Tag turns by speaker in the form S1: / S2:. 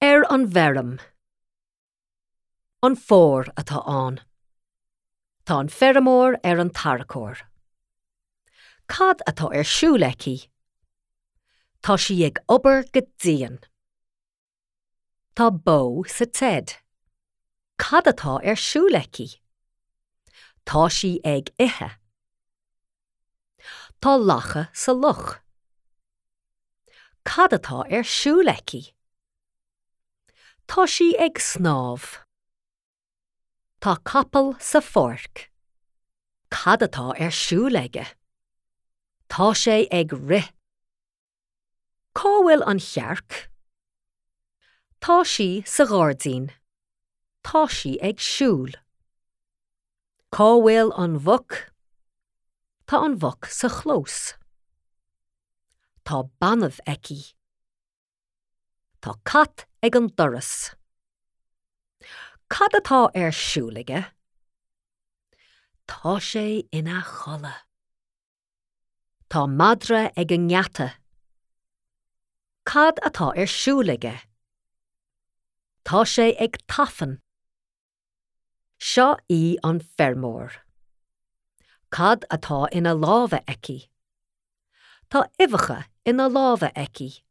S1: Ar an bhfeirm. An fómhar atá ann. Tá an feirmeoir ar an tarracóir. Cad atá ar siúl aici? Tá sí ag obair go dian. Tá bó sa tseid. Cad atá ar siúl aici? Tá sí ag ithe. Tá lacha sa loch. Cad atá ar siúl aici? Tá sí ag snámh. Tá capall sa pháirc. Cad atá ar siúl aige? Tá sé ag rith. Cá bhfuil an chearc? Tá sí sa ghairdín. Tá sí ag siúl. Cá bhfuil an mhuc? Tá an mhuc sa chlós. Tá banbh aici. Tá cat ag an doras. Cad atá ar siúl aige? Tá sé ina chodladh. Tá madra ag an ngeata. Cad atá ar siúl aige? Tá sé ag tafann. Seo í an feirmeoir. Cad atá ina lámha aici? Tá uibheacha ina lámha aici.